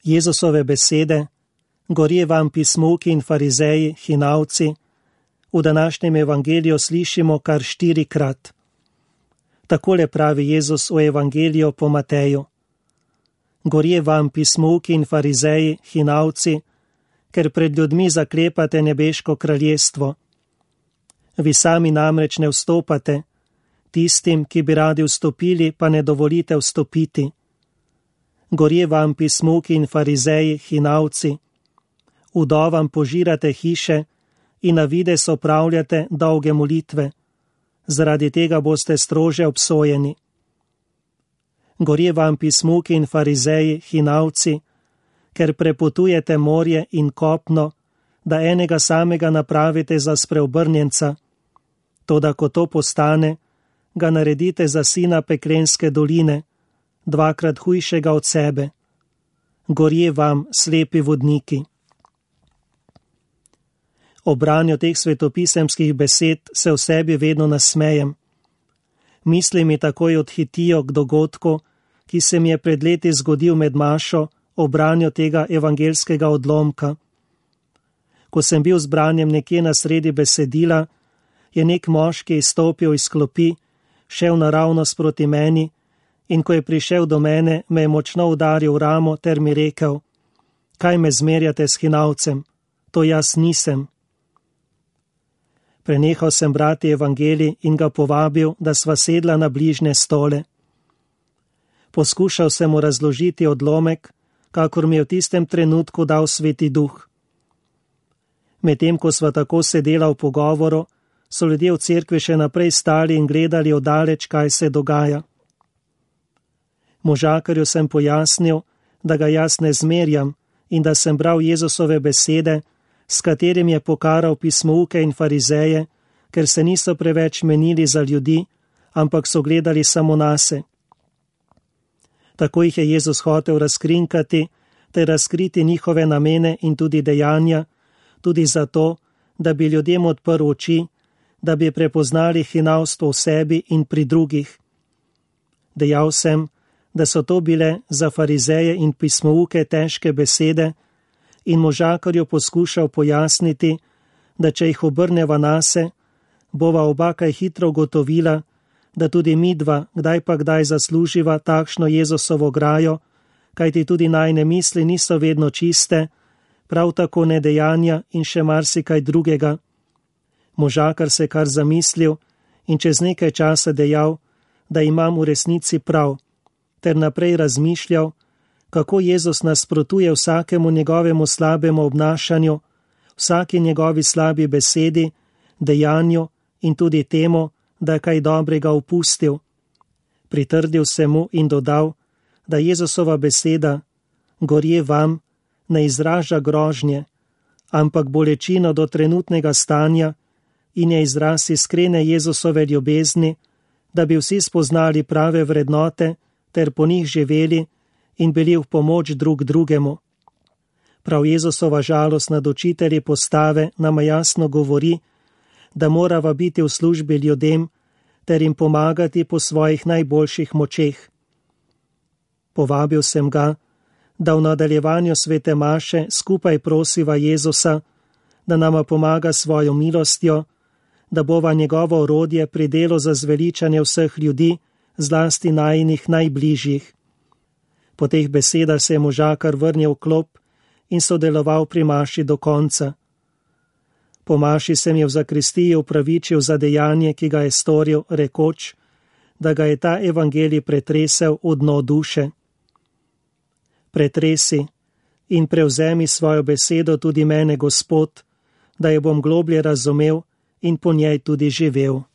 Jezusove besede: Gorje vam pismuki in farizeji, hinavci, v današnjem evangeliju slišimo kar 4-krat. Takole pravi Jezus v evangeliju po Mateju: Gorje vam pismuki in farizeji, hinavci, ker pred ljudmi zaklepate nebeško kraljestvo. Vi sami namreč ne vstopate, tistim, ki bi radi vstopili, pa ne dovolite vstopiti. Gorje vam pismuki in farizeji, hinavci, vdovam požirate hiše in na vides opravljate dolge molitve, zaradi tega boste strože obsojeni. Gorje vam pismuki in farizeji, hinavci, ker prepotujete morje in kopno, da enega samega napravite za spreobrnjenca, toda ko to postane, ga naredite za sina peklenske doline, 2-krat hujšega od sebe. Gorje vam, slepi vodniki. Ob branju teh svetopisemskih besed se v sebi vedno nasmejem. Misli mi takoj odhitijo k dogodku, ki se mi je pred leti zgodil med mašo ob branju tega evangelskega odlomka. Ko sem bil z branjem nekje na sredi besedila, je nek moški izstopil iz klopi, šel naravnost proti meni in ko je prišel do mene, me je močno udaril v ramo ter mi rekel: Kaj me zmerjate s hinavcem? To jaz nisem. Prenehal sem brati evangelij in ga povabil, da sva sedla na bližnje stole. Poskušal sem mu razložiti odlomek, kakor mi je v tistem trenutku dal Sveti Duh. Medtem ko sva tako sedela v pogovoru, so ljudje v cerkvi še naprej stali in gledali oddaleč, kaj se dogaja. Možakarju sem pojasnil, da ga jaz ne zmerjam in da sem bral Jezusove besede, s katerim je pokaral pismouke in farizeje, ker se niso preveč menili za ljudi, ampak so gledali samo nase. Tako jih je Jezus hotel razkrinkati, ter razkriti njihove namene in tudi dejanja, tudi zato, da bi ljudem odprl oči, da bi prepoznali hinavstvo v sebi in pri drugih. Dejal sem, da so to bile za farizeje in pismouke težke besede in možakarju poskušal pojasniti, da če jih obrneva nase, bova oba kaj hitro ugotovila, da tudi midva kdaj pa kdaj zasluživa takšno Jezusovo grajo, kajti tudi najne misli niso vedno čiste, prav tako ne dejanja in še marsikaj drugega. Možakar se kar zamislil in čez nekaj časa dejal, da imam v resnici prav, ter naprej razmišljal, kako Jezus nasprotuje vsakemu njegovemu slabemu obnašanju, vsaki njegovi slabi besedi, dejanju in tudi temu, da je kaj dobrega upustil. Pritrdil se mu in dodal, da Jezusova beseda gorje vam ne izraža grožnje, ampak bolečino do trenutnega stanja in je izraz iskrene Jezusove ljubezni, da bi vsi spoznali prave vrednote ter po njih živeli in bili v pomoč drug drugemu. Prav Jezusova žalost nad učitelji postave nama jasno govori, da morava biti v službi ljudem ter jim pomagati po svojih najboljših močeh. Povabil sem ga, da v nadaljevanju svete maše skupaj prosiva Jezusa, da nama pomaga svojo milostjo, da bova njegovo orodje pri delu za zveličanje vseh ljudi, zlasti najinih najbližjih. Po teh besedah se je možakar vrnil v klop in sodeloval pri maši do konca. Po maši se mi je v zakristiji upravičil za dejanje, ki ga je storil, rekoč, da ga je ta evangelij pretresel v dno duše. Pretresi in prevzemi svojo besedo tudi mene, Gospod, da jo bom globlje razumel in po njej tudi živel.